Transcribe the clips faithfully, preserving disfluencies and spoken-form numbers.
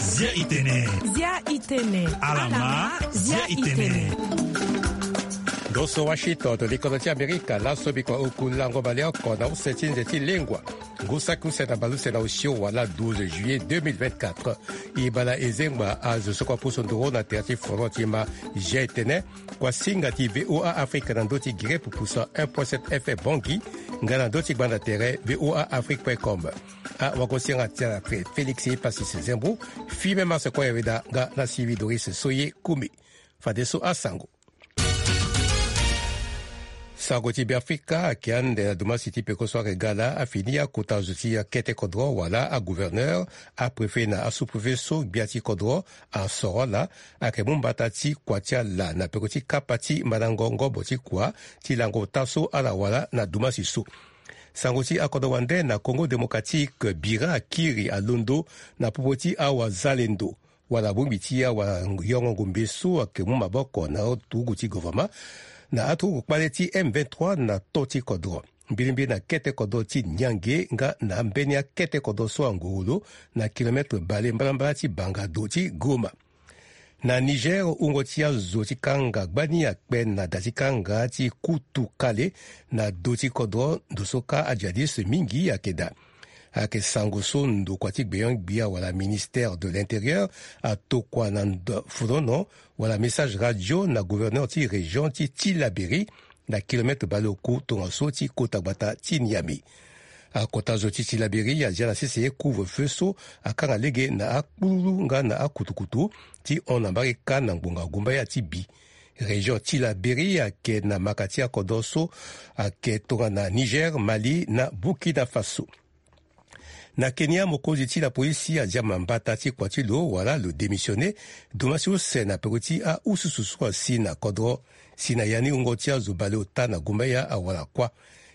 Zia itene. Zia itene. Alama, zia itene. Ndo so Washington, to likodo ti Amerika, laso bikua oku lango baleoko na use ti nze ti lengua. Ngu saki use na baleuse na osio wala douze juillet deux mille vingt-quatre. E bala e zengba azo so kua pusu nduru na tere ti foro ti ma. Zia itene. Kuasinga ti V O A Afrique na ndö ti gere pupusa un point sept F M Bangui, nga na ndö ti gbanda tere V O A Afrique point com. Awagosinga ti ala Félix Passis Zembo, Fime Marse Koyaweda nga na Sylvie Doris Soye Kumi. Fadeso asango. Sango ti Beafrika ayeke ande na dumasi ti peko so ayeke ga laa afini akota zo ti akete kodro wala agouverneur, apréfet na asous-préfet so gbia ti kodro asoro ala ayeke mu mbata ti kua ti ala na peko ti kapa ti mandango ngobo ti kua ti lango ota so ala wara na dumasi so. Sango ti akodro wande na Congo Démocratique, bira akiri alondo na popo ti awazalendo wala bongbi ti awayongo ngombe so ayeke mu maboko na aturugu ti gouvernement na aturugu kpale ti M vingt-trois na to ti kodro. Mbilimbili na kete kodro ti Niangue nga na ambeni akete kodro so angurulu na kilometre bale mbalambala ti bangado ti Goma. Na Niger, wungo ti azo ti kanga gbani akpe na da ti kanga ti Kutu Kale na do ti kodro, ndo so ka ajihadiste mingi ayeke daa. Ayeke sango so ndokua ti gbenyo-gbia wala ministère de l'Intérieur atokua na ndo folono wala message radio na gouverneur ti région ti Tillabéri, na kilometre baleoku tongaso ti kota gbata ti Niamey. Akota zo ti Tillabéri azia na sese couvre-feu so akanga lege na akpululu nga na akutukutu ti hon na mbage kâ na ngbonga gumbaya ti bi. Région Tillabéri ayeke na maka ti akodro so ayeke tongana Niger, Mali na Burkina Faso. Na Kenya, mokonzi ti lapolisi azia mambata ti kua ti lo wala lo démissionner, dumasi use na peko ti aususu so asi na kodro. Si na ya ni wungo ti azo baleota na gumbaya awara kuâ.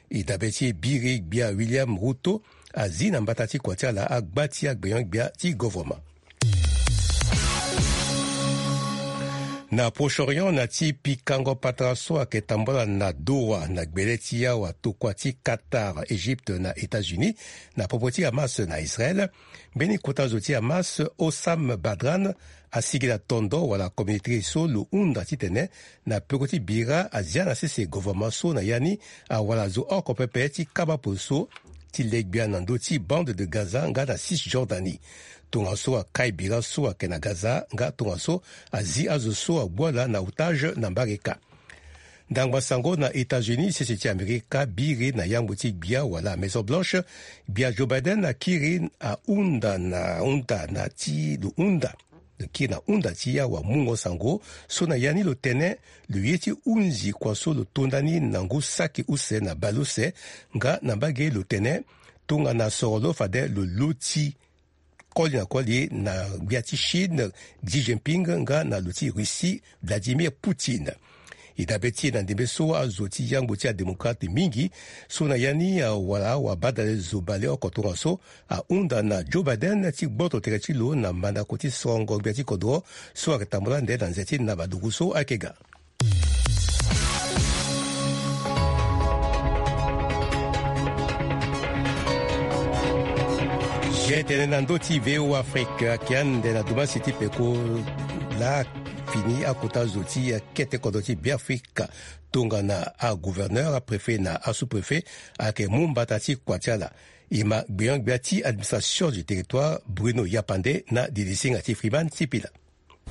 E dabe ti biri gbia William Ruto azi na mbata ti kua ti ala agba ti agbenyo-gbia ti govoroma. Na Proche-Orient, na ti pikango patara so ayeke tambula na Doha na gbele ti awa tokua ti Qatar, Égypte na États-Unis, na popo ti Hamas na Israël, mbeni kota zo ti Hamas, Hossam Badran, asigi na tondo wala communauté so lo hunda titene na peko ti bira azia na sese govoroma so na ya ni awara zo oko pepe ti kaba poso ti le gbia na ndö ti bande de Gaza nga na Cisjordanie. Tongaso akai bira so ayeke na Gaza nga tongaso azi azo so agbu ala na otage na mbage kâ. Ndangba sango na États-Unis, sese ti Amerika biri na yangbo ti gbia wala Maison Blanche, gbia Joe Biden akiri ahunda na hunda na ti lo hunda. Lo kiri na hunda ti awamungo sango so na ya ni lo tene lo ye ti hunzi kua so lo to ndani na ngu saki use na baleuse nga na mbage lo tene tongana soro lo fade lo loti koli na koli na gbia ti Chine, Xi Jinping, nga na lo ti Russie, Vladimir Poutine. E dabe ti e na ndembe so azo ti yangbo ti adémocrate mingi so na ya ni awara awabadale zo baleoko tongaso ahunda na Joe Biden ti gboto tere ti lo na mandako ti sorongo gbia ti kodro so ayeke tambula ande na nze ti naba dugu so ayeke ga. Zia itene na ndö ti V O A Afrique, ayeke ande na dumasi ti peko laa fini akota zo ti akete kodro ti Beafrika tongana agouverneur, apréfet na asous-préfet ayeke mu mbata ti kua ti ala. E ma gbenyo-gbia ti administration du territoire Bruno Yapande na dilisinga ti Freeman Sipila.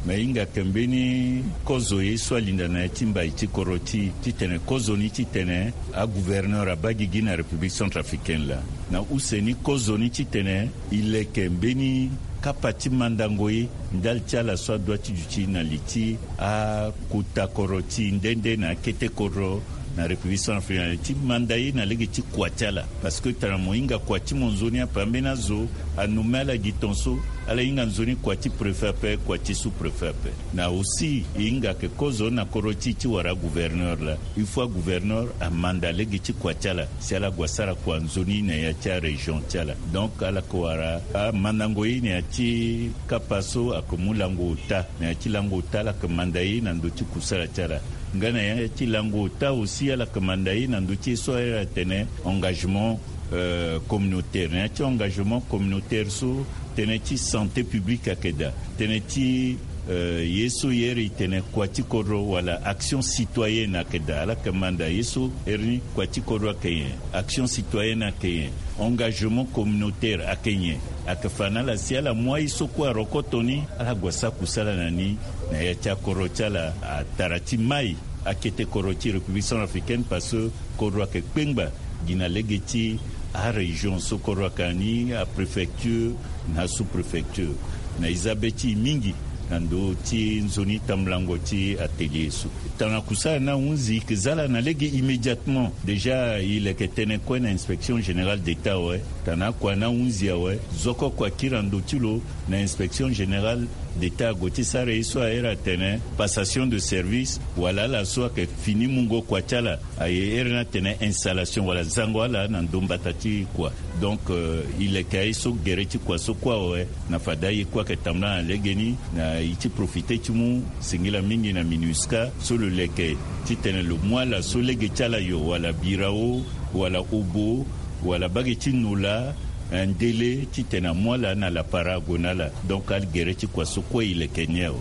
Me hinga yeke mbeni kozo ye so alinda na ya ti mbai ti kodro ti e titene kozoni titene agouverneur abaa gigi na République centrafricaine laa. Na use ni kozoni titene e leke mbeni kapa ti mandango ye ndali ti ala so adua ti duti na li ti akota kodro ti e nde nde na akete kodro na République centrafricaine ti manda ye na lege ti kua ti ala. Parce que tara mo hinga kua ti mo nzoni ape, ambeni azo anomme ala gi ton so ala hinga nzoni kua ti préfet ape, kua ti sous-préfet ape. Na aussi e hinga yeke kozo na kodro ti e ti wara agouverneur laa. Il faut agouverneur amanda lege ti kua ti ala si ala gue asara kua nzoni na ya ti arégion ti ala. Donc ala yeke wara amandango ye na ya ti kapa so ayeke mu lango ota. Na ya ti lango ota ala yeke manda ye na ndö ti kusala ti ala. Nga na ya ti lango ota aussi Ala yeke manda ye na ndö ti ye so ahiri atene engagement euh, communautaire. Na ya ti engagement communautaire so, tënë ti santé publique ayeke daa, tënë ti euh, ye so e hiri tene kua ti kodro wala action citoyenne ayeke daa. Ala yeke manda ye so hiri ni, kua ti kodro ayeke nyen, action citoyenne ayeke nyen, engagement communautaire ayeke nyen, ayeke fa na ala si ala mu aye so kue arokoto ni, ala gue sara kusala na ni. Na ya ti akodro ti ala, atara ti mai, akete kodro ti République centrafricaine, parce que kodro ayeke kpengba gi na lege ti arégion so kodro ayeke na ni, apréfecture na asous-préfecture. Na e za be ti e mingi na ndö ti nzoni tambulango ti atelier so. Tongana kusala ni ahunzi, e yeke za ala na lege immédiatement. Déjà e leke tënë kue na inspection générale d'État awe. Tongana kua ni ahunzi awe, zo oko kua akiri na ndö ti lo, na inspection générale d'État ague ti sara ye so ahiri atene passation de service, wala ala so ayeke fini mungo kua ti ala, aye hiri ni atene installation wala zango ala na ndö mbata ti kua. Donc euh, e leke aye so gere ti kua so kue awe, na fade aye kue ayeke tambula na legeni. Na e ti profite ti mu singila mingi na MINUSCA so lo leke titene lo mu ala so lege ti ala yo, wala birao, wala obo, wala bage ti nola, eh, ndele, titene amu ala na lapara ague na ala. Donc agere ti kua so kue e leke ni awe.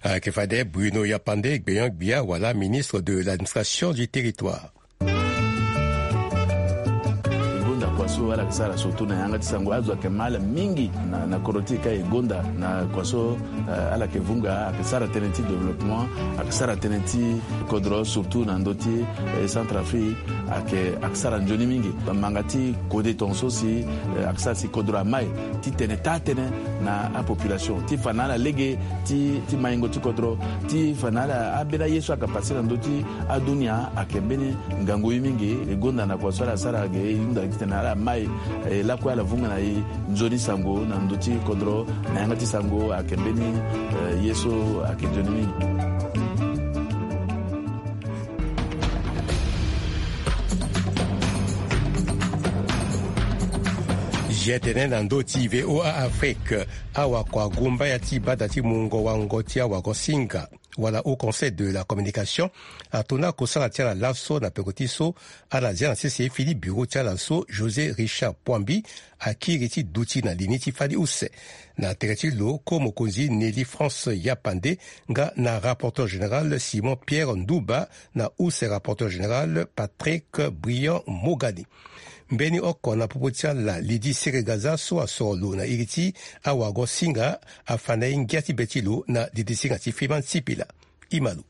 Ayeke fade Bruno Yapande, gbenyo-gbia wala ministre de l'administration du territoire. E gonda kua so ala yeke sara surtout na yanga ti sango, azo ayeke ma ala mingi na, na kodro ti e ka e gonda na kua so, eh, ala yeke vunga, ayeke sara tënë ti développement, ayeke sara tënë ti kodro surtout na ndö ti, eh, Centrafrique, ayeke, ayeke sara nzoni mingi. Manga ti kode tongaso si, eh, ayeke sara si kodro amai titene taa tënë na apopulation ti fa na ala lege ti, ti maingo ti kodro, ti fa na ala ambeni aye so ayeke pase na ndö ti adunia ayeke mbeni ngangu ye mingi. E gonda na kua so ala sara ge, e hunda titene ala mai, eh, lakue ala vunga na e nzoni sango na ndö ti kodro, na yanga ti sango ayeke mbeni, eh, ye so ayeke nzoni mingi. Zia tene na ndö ti V O A Afrique, awakua gumbaya ti bada ti mungo wango ti awagosinga wala Haut Conseil de la Communication, ato na kosala ti ala laso na peko ti so ala zia na sese fini bureau ti ala so José Richard Poambi akiri ti duti na li ni ti fani use. Na tere ti lo, ko mokonzi Nelly France Yapande nga na rapporteur général Simon Pierre Ndouba na use rapporteur général Patrick Briand Mogani. Mbeni oko na popo ti ala, Lydie Seregaza so asoro lo na iri ti awagosinga, afa na e ngia ti be ti lo na didisinga ti Freeman Sipila. E ma lo.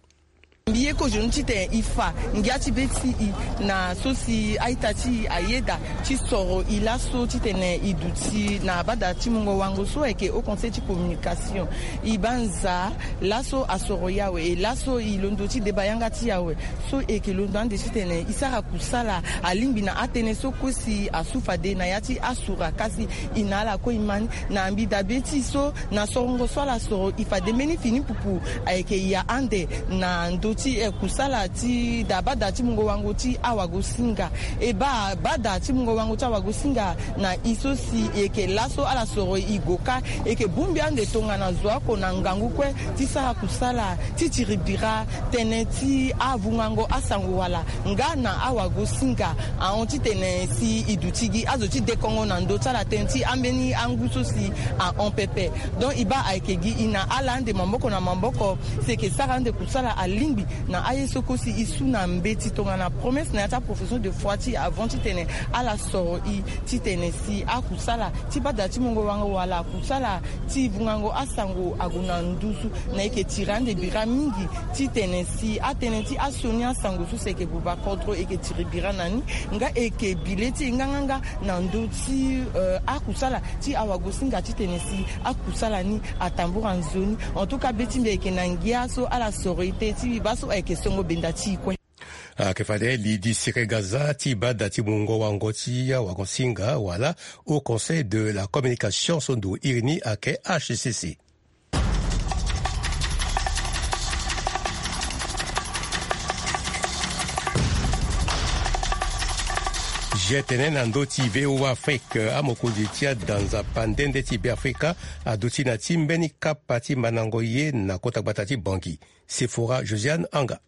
Mbi ye kozo ni titene e fa ngia ti be ti e na so si a-ita ti e ayeda ti soro e laso titene e duti na bada ti mungo wango so ayeke Haut Conseil ti Communication. E baa nzaa laso asoro e awe, e laso e londo ti deba yanga ti e awe. So e yeke londo ande titene e sara kusala alingbi na atënë so kue si asu fade na ya ti asura, kasi e na ala kue e ma ni. Na mbi dabe ti e so na sorongo so ala soro e fade mbeni fini pupu ayeke ya ande na ndö ti, eh, kusala ti da bada ti mungo wango ti awagosinga. E baa bada ti mungo wango ti awagosinga na e so si e yeke laso ala soro e go kâ, e yeke bongbi ande tongana zo oko na ngangu kue ti sara kusala ti tiri bira tënë ti avungango asango wala nga na awagosinga ahon titene si e duti gi azo ti dekongo na ndö ti ala tënë ti ambeni angu so si ahon pepe. Donc e baa ayeke gi e na ala ande maboko na maboko si e yeke sara ande kusala alingbi na aye so kue si e su na mbeti tongana promesse na ya ti aprofession de foi ti e avant titene ala soro e titene si akusala ti bada ti mungo wango wala kusala ti vungango asango ague na nduzu. Na e yeke tiri ande bira mingi titene si atënë ti asioni asango so si e yeke buba kodro e yeke tiri bira na ni. Nga e yeke bi le ti e nganganga na ndö ti, eh, akusala ti awagosinga titene si akusala ni atambura nzoni. En tout cas be ti mbi ayeke na ngia so ala soro e te ti mbi baa so ayeke songo benda ti e kue. Ayeke fade Lydie Seregaza ti bada ti mungo wango ti awagosinga wala Haut Conseil de la Communication so ndo iri ni ayeke H C C. Zia tene na ndö ti V O A Afrique, amokonzi ti adanza pandende ti Beafrika aduti na ti mbeni kapa ti mandango ye na kota gbata ti Bangui. Sephora Josiane Anga.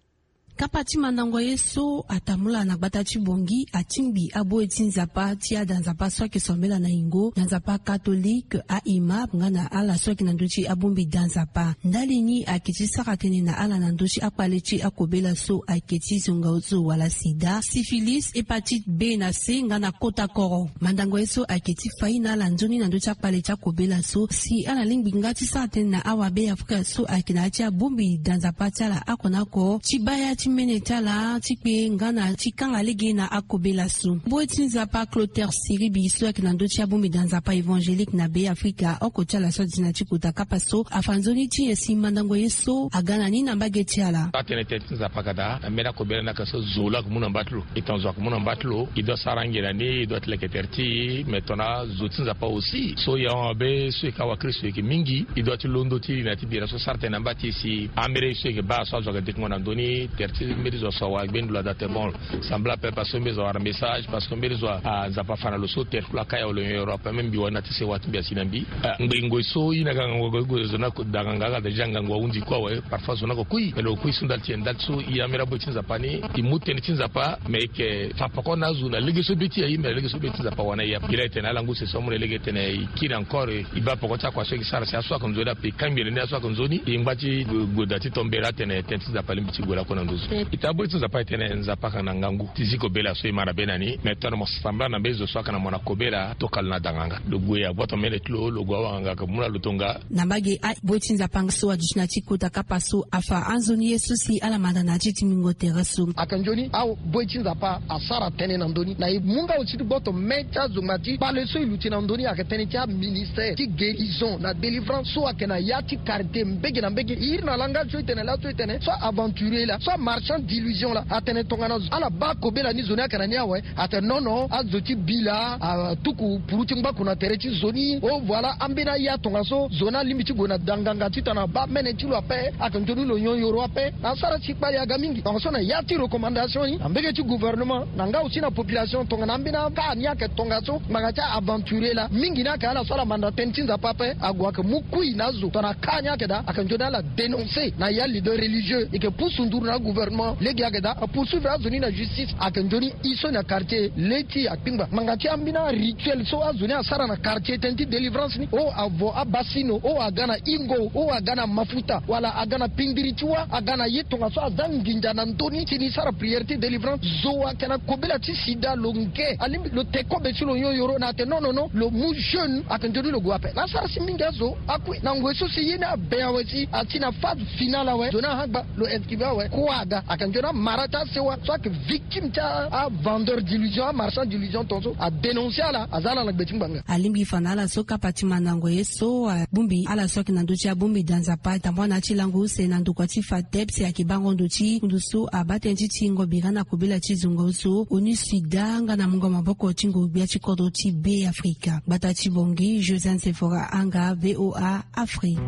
Kapa ti mandango ye so atambula na gbata ti Bangui atingbi aboye ti Nzapa ti ada Nzapa so ayeke sambela na yingo na Nzapa katolike, a-imam nga na ala so ayeke na ndö ti abongbi da Nzapa. Ndali ni ayeke ti sara tënë na ala na ndö ti akpale ti akobela so ayeke ti zonga ozo wala sida, syphilis, hépatite B na C nga na kota koro. Mandango ye so ayeke ti fa ye na ala nzoni na ndö ti akpale ti akobela so si ala lingbi nga ti sara tënë na awabe Afrika so ayeke na ya ti abongbi da Nzapa ti ala oko na oko ti baa ya ti mene ti ala ti kpe nga na ti kanga lege na akobela so. Boy ti Nzapa Clotaire Siribi so ayeke na ndö ti abongbi da Nzapa évangélique na Be Afrika oko ti ala so adi na ti kota kapa so afa nzoni ti nyen si mandango ye so aga na ni na mbage ti ala. Atene tënë ti Nzapa ka daa na mbeni akobela ni aka so zo laa amu na mba ti lo. E tongana zo aka mu na mba ti lo, e doit sara ngia na ni, e doit ti leke tere ti e. Me tongana zo ti Nzapa aussi so e ahon abe so e ka wakristo e yeke mingi, e doit ti londo ti e na ti bira so sara tënë na mba ti e si ambeni ye so e yeke baa so azo aka dekungo na ndö ni. Tere ti mbeni zo so awa gbeni lo ada te bon. Sambela ape parce que mbeni zo awara message, parce que mbeni zo a Nzapa afa na lo so tere ti lo aka ya wala nyon yoro ape même mbi wani na ti sewa ti mbi asi na mbi. Ngoi ngoi so i na ga ngangu ague gue zo na ko danga nga aga da ja ngangu ahunzi kue awe. Parfois zo na ko kui me lo kui so ndali ti e ndali so i ambeni aboy ti Nzapa ni i mu tënë ti Nzapa me i yeke fa poko na azo na lege so be ti aye me na lege so be ti Nzapa wana i ape. I la e tene ala ngu sese amu na lege e tene i kiri encore i baa poko ti akua so i yeke sara si aso aka nzoni ape i kangbi na ni aso aka nzoni i ngba ti goda ti tombera atene tënë ti Nzapa alingbi ti gue lakue na nduzu. I ta aboy ti Nzapa e tene Nzapa aka na ngangu ti zi kobela so i ma na be na ni me tongana mo sambela na mbeni zo so aka na mo na kobela tokalo na danganga lo gue agboto mene ti lo lo gue awanganga aka mu na lo tonga. Na mbage aboy ti Nzapa so aduti na ti kota kapa so afa anzoni ye so si ala manda na ya ti tingbingo tere so. Aka nzoni aboy ti Nzapa asara tënë na ndö ni na e mu nga awe ti gboto me ti azo ngba ti kpale so e luti na ndö ni ayeke tënë ti aministère ti guérison na délivrance so ayeke na ya ti quartier mbege na mbege. E iri na langage so e tene laso e tene so aventurier laa so amarchand d'illusion laa atene tongana ala baa kobela ni zo ni ayeke na ni awe. Atene non non azo ti bi laa atuku puru ti ngbaku na tere ti zo ni. Oh voilà ambeni aya tongaso zo ni alingbi ti gue na danganga titene abaa mene ti lo ape. Ayeke nzoni lo nyon yoro ape na asara si kpale aga mingi tongaso na ya ti recommandation ni na mbege ti gouvernement na nga aussi na population tongana ambeni aka ni ayeke tongaso ngbanga ti aventurier laa mingi ni ayeke ala so ala manda tënë ti Nzapa ape ague ayeke mu kui na azo tongana aka ni ayeke daa ayeke nzoni ala dénoncer na ya leader religieux e yeke pusu nduru na gouvernement lege ayeke daa apoursuivre azo ni na justice ayeke nzoni i so na quartier le ti akpingba ngbanga ti ambeni arituel so azo ni asara na quartier tënë ti délivrance ni o avo abasino o aga na ingo o aga na mafuta wala aga na pindiri ti wâ aga na ye tongaso aza nginza na ndö ni si ni sara prière ti délivrance zo ayeke na kobela ti sida lo nge alingbi lo te kobe ti lo nyon yoro na ate non non non lo mu jeune ayeke nzoni lo gue ape na asara si mingi azo akui na ngoi so si ye ni abe awe si ati na phase finale awe zo ni ahagba lo inscribe awe kue aga ayeke nzoni amara ti asewa so ayeke victime ti avendeur d'illusion amarchand d'illusion tongaso adénoncer ala aza ala na gbe ti ngbanga. Alingbi fa na ala so kapa ti mandango ye so abongbi ala so ayeke na ndö ti abongbi da Nzapa atambua na ya ti lango use na ndokua ti FATEB si ayeke bango ndo ti kundu so abaa tënë ti tingo bira na kobela ti zongo so onu sida nga na mungo maboko ti ngongbia ti kodro ti Be Afrika. Gbata ti Bangui, Josiane Sephora Anga, VOA Afrique.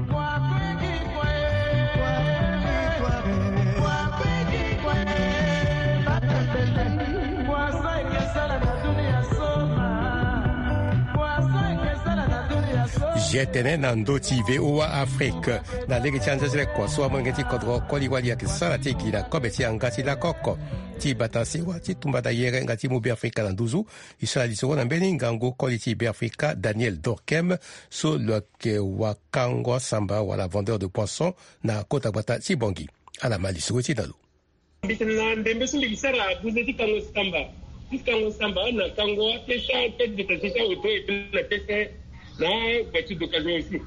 Zi tene na ndö ti VOA Afrique na lege ti anzezele kua so amolenge ti kodro koli wali ayeke sara ti e gi na kobe ti yanga ti lako oko ti bata sewa ti tumba dayere nga ti mu Be Afrika na nduzu. E sara lisoro na mbeni ngangu koli ti Be Afrika Daniel Dorkem so lo yeke wakango asamba wala vendeur de poisson na kota gbata ti Bangui. Ala ma lisoro ti na lo. Mbi tene na ndembe so mbi gi sara buze ti kango samba ti kango samba na kango apesa tête de tête ti aoto et puis na pesa na voiture d'occasion aussi.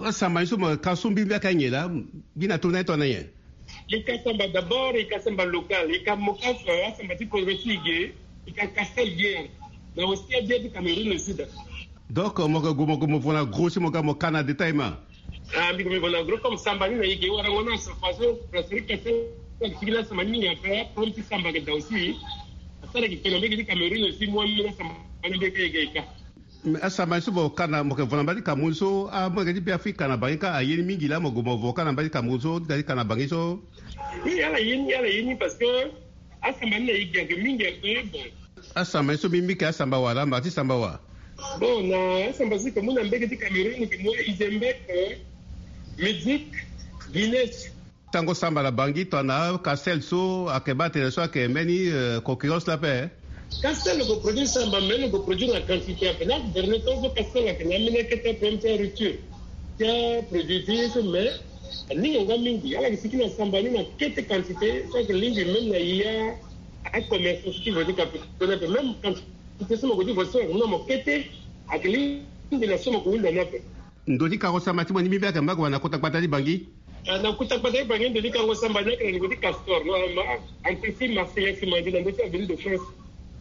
Asamba ni so mo ka so mbi mbi aka nyen laa? Mbi na tongana ye tongana nyen? Ye ka samba d'abord ye ka samba local ye ka mo ka so asamba ti kodro ti e ge. Ye ka castel bien na aussi abien ti Cameroun aussi da. Donc mo ke gue mo gue mo vo na gros si mo ga mo ka na détail ma. Ah mbi gue mbi vo na gros comme samba ni na ye ge warango na sa façon brasserie castel. Sigi na samba ni mingi aka problème ti samba ke da aussi. Asara ki pena mbege ti Cameroun aussi mo ambi na samba ni mbege ka ye ge ka. Mais asamba ni so mo ka na mo ke vo na mbage ti Cameroun so amolenge ti Be Afrika na bangi ka aye ni mingi laa mo gue mo vo ka na mbage ti Cameroun so ti ka na bangi so. Oui ala ye ni ala ye ni parce que asamba ni na ye gi ayeke mingi ayeke bon. Asamba ni so mbi mbi ke asamba wala mba ti samba wa? Bon na asamba so yeke mu na mbege ti Cameroun yeke mu Izembek, Medik, Guinness. Tango samba na Bangui tongana Castel so ayeke baa tene so ayeke mbeni concurrence ni ape. Castel lo ko produire samba, mais lo ko produire na quantité ape. Na dernier temps so Castel ayeke na ambeni akete ape, même ti arupture ti aproduit ti ye so, mais aninga nga mingi. Ala yeke siki na samba ni na kete quantité so ayeke lingbi même na ya acommerçant so ti vodi kapitoni ape, même quantité so mo ko ti vodi so ayeke mu na mo kete, ayeke lingbi na so mo ko hunda ni ape. Ndo ti kango samba ti mo ni mbi mbi ayeke mba gue na kota gbata ti Bangui. Ah, na kota gbata ti Bangui ndo ti kango samba ni ayeke na niveau ti Castor, no, ma, entreprise Marseillais Simandi na ndo ti Avenue de France.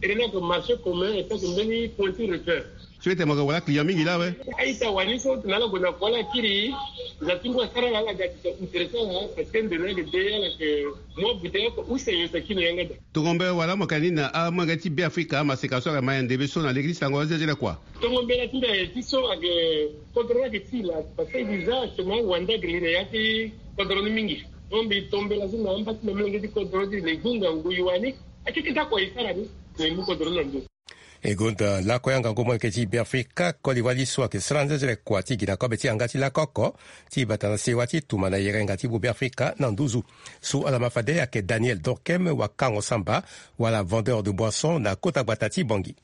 Tene ni ayeke marché commun et ayeke mbeni point ti repère. So ete mo yeke wara client mingi laa awe. A-ita wani so tene ala gue na kua ala kiri, nza ti ngu asara ala, ala ga ti intéressant laa, parce que ndo ni ayeke de, ala yeke mu abouteille oko use nyon si akiri na yanga daa. Tongo mbe wala mo yeke na ni na amolenge ti Beafrika, amaseka so ayeke ma ya ndembe so na lege ti sango azezele kua. Tongo mbela ti mbi aye ti so ayeke kodro ni ayeke ti laa, parce que déjà actuellement wande ayeke li na ya ti kodro ni mingi. Donc mbi to mbela so na amba ti mbi amolenge ti kodro ti le gunga ngui wani. Akeke ti akua e sara ni, e mu kodro ni na ndo. E gonda lakue angangu molenge ti Beafrika, koli wali so ayeke sara nzenzele kua ti gi na kobe ti yanga ti lako oko ti bata na sewa ti tuma na yerenga ti Beafrika na nduzu. So ala ma fade ayeke Daniel Dorkem, wakango samba wala vendeur de boisson na kota gbata ti Bangui.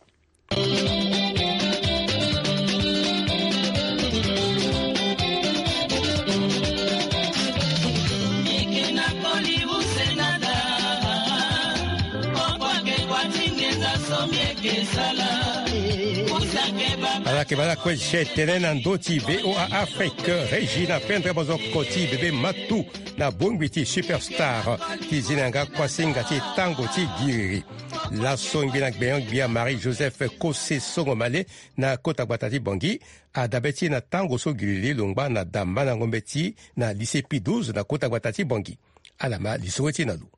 Ala yeke baa lakue je tene na ndö ti V O A Afrique, Régine apendre mozoko ti bebe matu na bongbi ti superstar ti zi na yanga kuasinga ti tango ti giriri. Laso ngbi na gbenyo-gbia Marie Joseph Kose Songo Male na kota gbata ti Bangui, adabe ti e na tango so giriri lo ngba na da mandango mbeti na lycée Pie douze na kota gbata ti Bangui. Ala ma lisoro ti e na lo.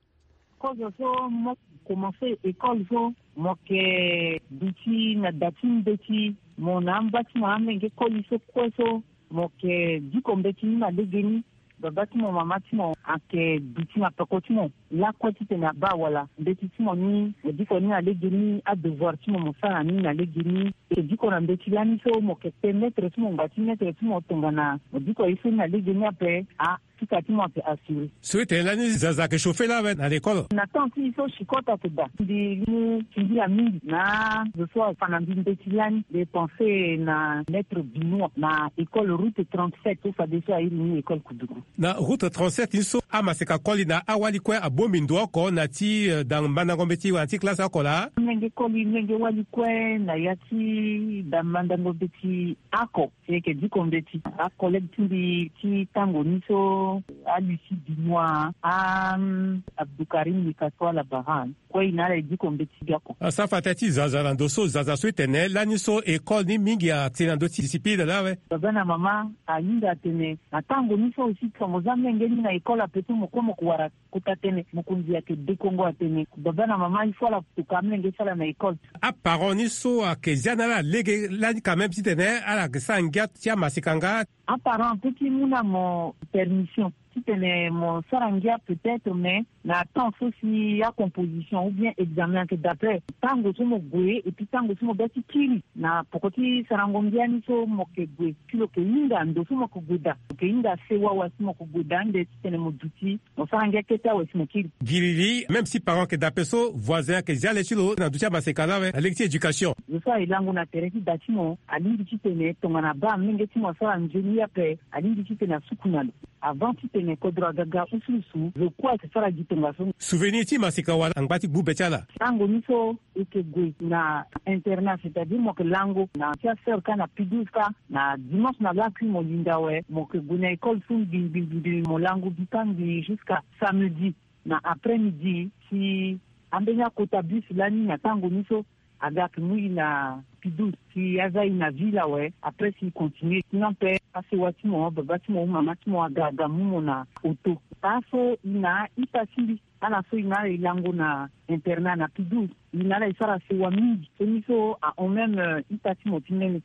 Kozo so mo commencé école so, mo yeke duti na da ti mbeti, mo na amba ti mo amolenge koli so kue so, mo yeke diko mbeti ni na legeni. Baba ti mo, mama ti mo ayeke duti na peko ti mo lakue titene abaa wala mbeti ti mo ni, mo diko ni na legeni, adevoir ti mo mo sara ni na legeni. E diko na mbeti lani so mo yeke pe maître ti mo, ngba ti maître ti mo tongana mo diko ye so ni na legeni ape, a, pika ti mo ayeke assuré. So e tene lani zaza ayeke chauffer laa awe na l'école. Na temps ti e so chicot ayeke daa. Mbi mu singila mingi na zo so afa na mbi mbeti lani. Mbi pensé na maître Benoît na école route trente-sept so fadeso airi ni école Koudougou. Na route trente-sept ni so amaseka koli na awali kue abongbi ndo oko na ti, eh, da mandango mbeti wala na ti classe oko laa. Mlenge koli, mlenge wali kue na ya ti da mandango mbeti oko. Si e yeke diko mbeti, acollègue ti mbi ti tango ni so, a Lucie Benoît, a, mm, Abdoukarim Likato ala bara. Kue e na ala e diko mbeti biako. Asa fa tënë ti zaza na ndo so, zaza so e tene lani so école ni mingi atene na ndö ti discipline laa awe. Baba na mama ahinga atene na tango ni so aussi, tongana mo za mlenge ni na école ape so mo kue mo ko wara kota tënë, mokonzi ayeke dekongo atene baba na mama il faut ala toka amolenge ti ala na école. Aparent ni so ayeke zia na ala lege lani quand même titene ala yeke sara ngia ti amaseka nga. Aparent apeut ti mu na mo permission titene mo sara ngia peut-être, mais na temps so si acomposition ou bien examen ayeke daa ape, tango so mo gue et puis tango so mo ga ti kiri na poko ti sarango ngia ni so mo yeke gue, si lo yeke hinga ndo so mo yeke gue daa, lo yeke hinga sewa wala si mo yeke gue daa ande titene mo duti mo sara ngia kete awe si mo kiri. Giriri, même si parent ayeke daa ape so, voisin ayeke zia le ti lo na ndö ti amaseka laa awe na lege ti éducation. Zo so aye lango na tere ti da ti mo alingbi titene tongana abaa amolenge ti mo asara nzoni ye ape, alingbi titene asuku na lo. Avant titene kodro aga ga usuusu, zo kue ayeke sara gi tongaso. Souvenir ti maseka wala angba ti gbu be ti ala. Tango ni so e yeke gue na internat, c'est-à-dire mo yeke lango na ti asœur kâ na Pie douze kâ, na dimanche na lakui mo linda awe, mo yeke gue na école so ngbii ngbii ngbii, mo lango gi kâ ngbii jusqu'à samedi na après-midi. Si ambeni akota bus lani na tango ni so aga ayeke mu e na Pie douze si aza e na ville awe, après si e continuer. Sinon ape asewa ti mo, ababa ti mo, amama ti mo aga aga mu mo na auto. Taa so e na a-ita ti mbi, ala so e na ala e lango na internat na Pie douze, e na ala e sara sewa mingi. So ni so ahon même, euh, ita ti mo ti nene.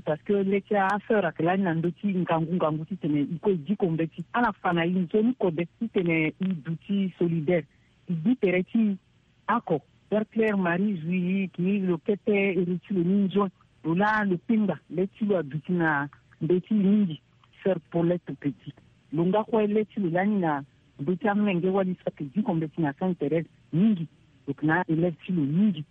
Parce que le ti asœur ayeke lani na ndö ti ngangu ngangu titene e kue e diko mbeti. Ala fa na e nzoni kode titene e duti solidaire, e gbu tere ti e. Oko, sœur Claire Marie Jouy, e yeke lo kete ere ti lo ni nzoni. Lo laa lo kpenga, le ti lo aduti na mbeti mingi. Sœur Paulette Petit, lo nga kue le ti lo lani na Ndö ti amolenge wali so ayeke diko mbeti na Sainte Thérèse mingi. Donc na a-élève ti lo mingi,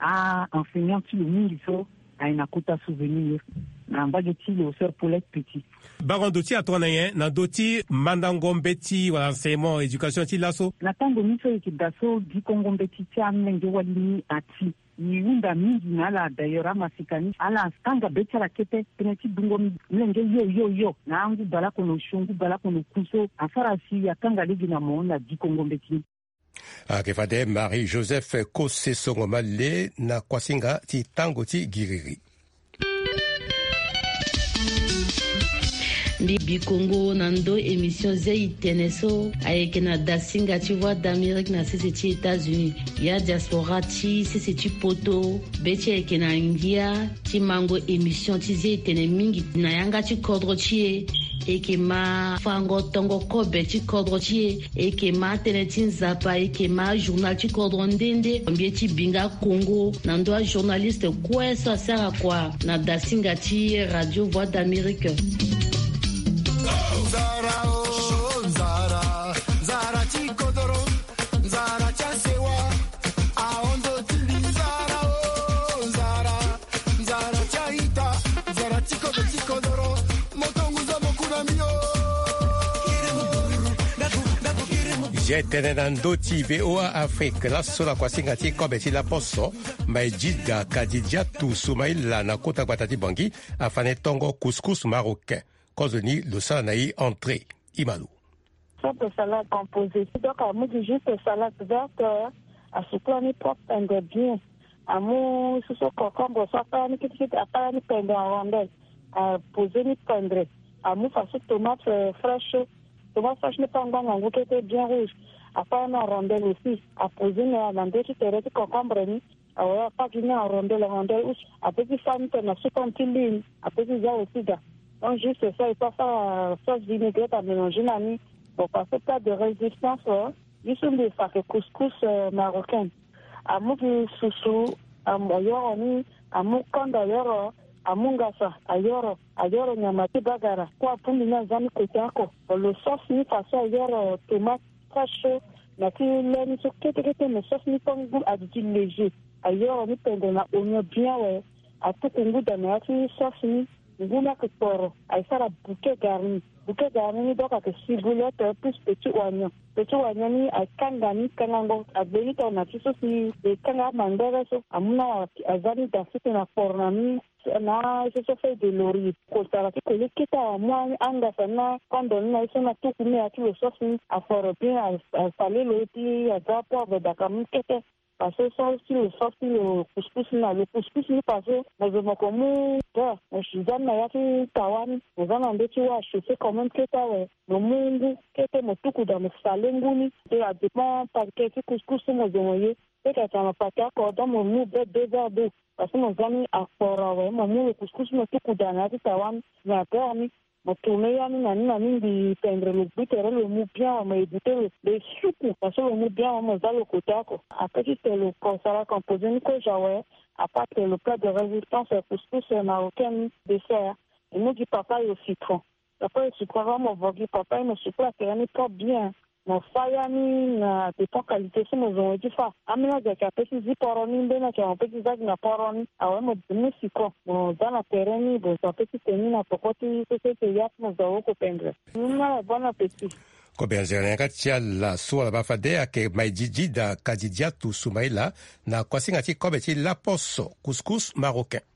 a-enseignant ti lo mingi so ayeke na kota souvenir na mbage ti lo, sœur Paulette Petit. Bango ndo ti atongana nyen na ndö ti mandango mbeti wala enseignement éducation ti laso? Na tango ni so e yeke daa so dikongo mbeti ti amolenge wali ni ati, e hunda mingi na ala. D'ailleurs amasika ni ala kanga be ti ala kete tënë ti dungo molenge yo yo yo na angu baleoko na osio, ngu baleoko na oku so asara si akanga lege na mo na dikongo mbeti ni. Ayeke fade Marie Joseph Kosesongo Male na kuasinga ti tango ti giriri. Mbi bikongo na ndö émission zia itene so ayeke na dasinga ti Voix d'Amérique na sese ti États-Unis. Ya diaspora ti sese ti poto, be ti e ayeke na ngia ti mango émission ti zia itene mingi na yanga ti kodro ti e. E yeke ma fango tongo kobe ti kodro ti e. E yeke ma tënë ti Nzapa, e yeke ma journal ti kodro nde nde. Mbi ye ti bi nga kongo na ndö ajournaliste kue so asara kua na dasinga ti Radio Voix d'Amérique. Nzara, oh, nzara, nzara ti kodoro, nzara ti asewa, aondo ti mbi nzara, oh, nzara, nzara ti aita, nzara ti kobe ti kodoro, moto ngu zo mo ku na mbi, oh. Zia tënë na ndö ti V O A Afrique, laso na kuasinga ti kobe ti laposo, Maïdjida Kadidiatou Soumaïla na kota gbata ti Bangui, afane tongo couscous marocain. Kozoni lo sara na e entrée. Imalo. Simple salade composée. Donc, amu gi juste salade verte, euh, asukola ni propre and bien. Amu susu concombre so akpara ni kitikiti, akpara ni pendre en rondelle. Aposer ni pendre. Amu faso tomate, euh, fraîche. Tomate fraîche ni pe angbanga ngu kete bien rouge. Akpara ni en rondelle aussi. Aposer ni na ndö ti tere ti concombre ni. Awe, akpara gi ni en rondelle, en rondelle use. Ape ti fa ni tene na supan ti lune. Ape ti za aussi ga. Donc juste ça, il faut faire, euh, sauce vinaigrette à mélanger na ni. Bon, parce que plat de résistance, euh, ye so mbi fa ayeke couscous, euh, marocaine. Amu gi susu, amu, ayoro ni, amu kanda ayoro, amu ngasa ayoro, ayoro nyama ti bagara. Kue abongbi ni aza ni côté oko. Lo sauce ni faso ayoro tomate fraîche so, na ti le ni so kete kete, mais sauce ni pe ngu adi ti léger. Ayoro ni pendre na oignon bien awe. Atuku ngu daa na ya ti sauce ni. Ngu ni ayeke kporo, aye sara bouquet garni. Bouquet garni ni donc ayeke ciboulette plus petit oignon. Petit oignon ni aye kanga ni, kangango agbe ni tongana ti so si e kanga amangbere so. Amu na aza ni daa sese na kporo na ni. Na ye so so feuille de laurier. Kotara ti koli kete amu angasa ni na kondo ni na ye so na tuku ni na ya ti lo sauce ni. Aforo bien, a, asale lo ye ti aza poivre daa ka mu kete. Parce que so si lo sauce ti lo couscous ni na lo couscous ni parce que mo zo mo ko mu beurre, mo si za ni na ya ti tawa ni, mo za na ndö ti wâ a chauffer quand même kete awe. Mo mu ngu kete mo tuku daa mo sale ngu ni. Te a dépend paquet ti couscous so mo zo mo ye. Peut-être atene mo paquet oko donc mo mu be deux verres d'eau. Parce que mo za ni akporo awe, mo mu lo couscous mo tuku daa na ya ti tawa ni, na beurre ni. Mo tourner ya ni na ni na ni, mbi pendre lo gbu tere lo mu bien awe, mo éviter lo, lo suku parce que lo mu bien awe, mo za lo côté oko. Après ti tene lo ko sara composer ni kozo awe, à part tene lo plat de résistance, couscous marocain ni, dessert, e mu gi papaye au citron. Papaye au citron, avant mo vo gi papaye, mo sukola tere ni propre bien. Mo fa ya ni na dépend qualité so mo zo mo ye ti fa. Ambeni azo ayeke ape ti zi poro ni, mbeni ayeke mo pe ti za gi na poro ni. Awe mo mu citron, mo za na tere ni, mo zo ape ti tene ni na poko ti so so ete ya ti mo zo awe oko pendre. Ni na bon appétit. Kobe anzere na yanga ti ala so ala baa fade ayeke Maïdjidjida Kadidiatou Soumaïla na kuasinga ti kobe ti laposo, couscous marocain.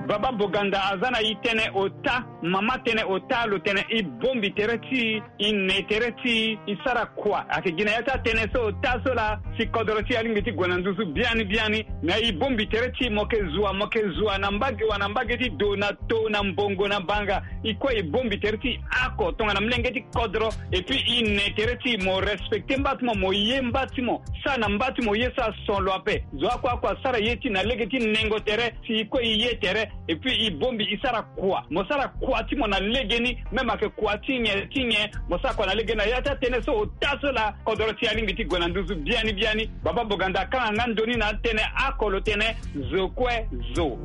Baba Boganda aza na e tënë ota, mama tënë ota, lo tene e bongbi tere ti e, e ne tere ti e, e sara kua. Ayeke gi na ya ti atënë so ota so laa si kodoro ti e alingbi ti gue na nduzu biani biani. Na e bongbi tere ti e, mo yeke zua, mo yeke zua na mbage wa na mbage ti do, na to, na mbongo, na banga. E kue e bongbi tere ti e oko tongana molenge ti kodro. Et puis e ne tere ti e, mo respecter mba ti mo, mo ye mba ti mo, sara na mba ti mo ye so ason lo ape. Zo oko oko asara ye ti e na lege ti nengo tere, si e kue e ye tere. Et puis e bongbi e sara kua, mo sara kua ti mo na legeni, même ayeke kua ti nyen ti nyen, mo sara kua na legeni. Na ya ti atënë so ota so laa kodoro ti e alingbi ti gue na nduzu biani biani. Baba Boganda akanga nga ndo ni na atënë oko, lo tene zo kue zo.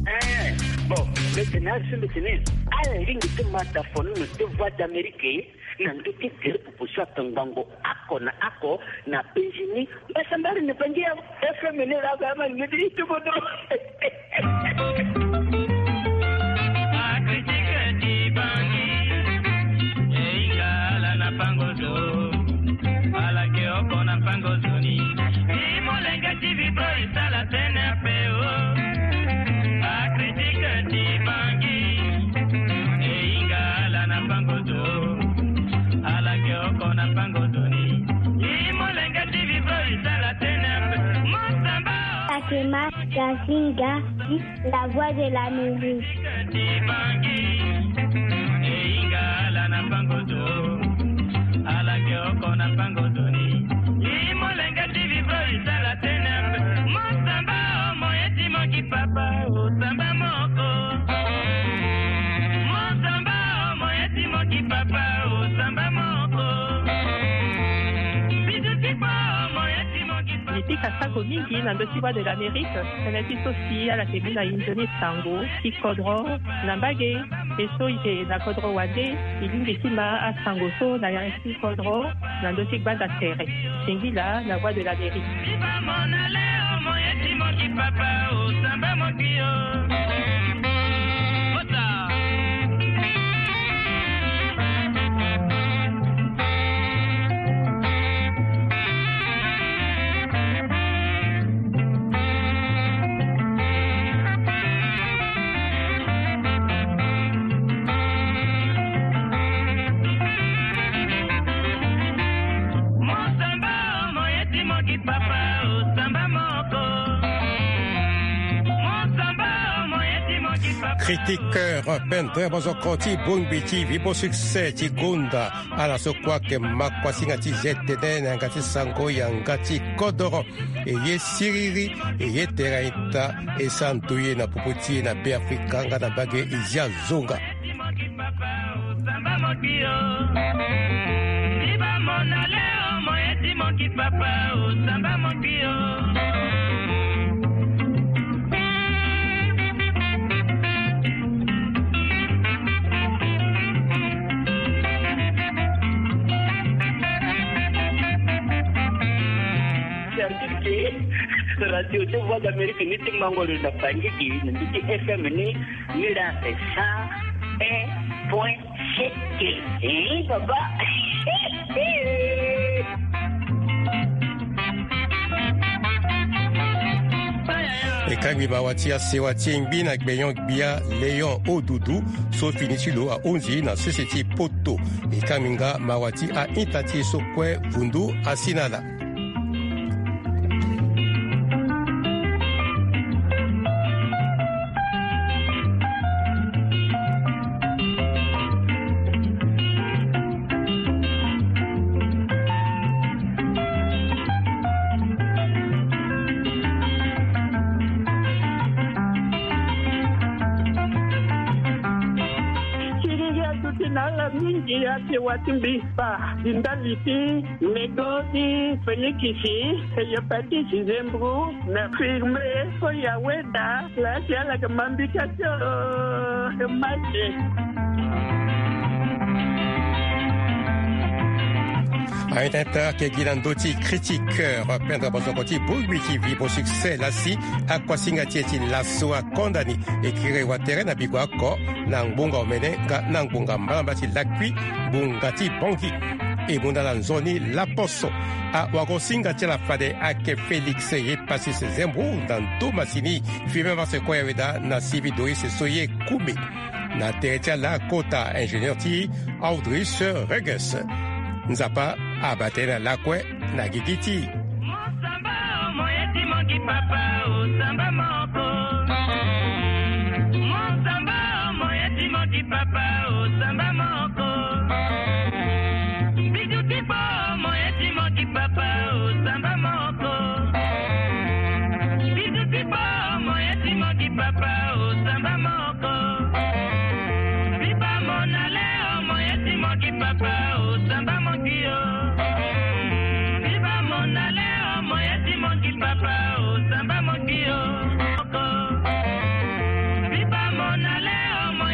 Eh. Bon, mbeti na ala so mbeti ni ala lingbi ti mata fono na deux voix d'Amérique na ndö ti gere popo so atongbango oko na oko na Benjini. Mbasambari na bangi ya F M ni la ba ma ni ti tubo do. Akritike ti bangi, e hinga ala na pango zo. Ala ke oko na pango zo ni. Ti molenge ti vibro e sala tene ape o. Akritike ti bangi, e hinga ala na pango zo. Ala ke oko na pango zo ni. Ti molenge ti vibro e sala tene ape. Mosamba. Takema Gazinga, la voix de l'Amérique. Mbi pika sango mingi na ndö ti Voix de l'Amérique. Tënë ti so si ala yeke mu na e nzoni sango ti kodro na mbage. E so e yeke na kodro wande, e lingbi ti ma asango so na yanga ti kodro na ndö ti gbanda tere. Singila na Voix de l'Amérique. Critiqueur, pendre bozoko ti bongbi ti Vibo Succès ti gonda ala so kue ayeke ma kuasinga ti zia tënë na yanga ti sango yanga ti kodoro. E ye siriri, e ye tere aita, e santu ye na popo ti e na Beafrika nga na mbage e zia zonga. Radio ti Voix d'Amérique ni ti mango lo na Bangui na ndö ti F M ni, ni la cent un point sept. Eh, baba. E kangbi mawa ti asewa ti e ngbi na gbenyo gbia Léon Odudu so fini ti lo ahunzi na sese ti poto. E kangbi nga mawa ti a-ita ti e so kue vundu asi na ala. Siriri aduti na ala mingi asewa ti mbi. Ba di ndali ti nego ti Félix, e ye Patrice Zembro na firme so ya weda la ti ala yeke ma mbi ka ti o, e ma ye. Aye tene tara ayeke gi na ndö ti critiqueur, pendre bozoko ti bongbi ti Vibo Succès laa si akuasinga ti e ti laso akonda ni. E kiri watere na bigo oko na ngbonga omene nga na ngbonga mbalambala ti lakui ngbonga ti Bangui. E mu na ala nzoni laposo. Awagosinga ti ala fade ayeke Félix ye Patrice Zembro na ndo masini. Firme marche kue ya weda na Sylvie Doris so ye Koumé. Na tere ti ala kota ingénieur ti Audrice Reges. Nzapa abaa tënë na lakue na gigi ti.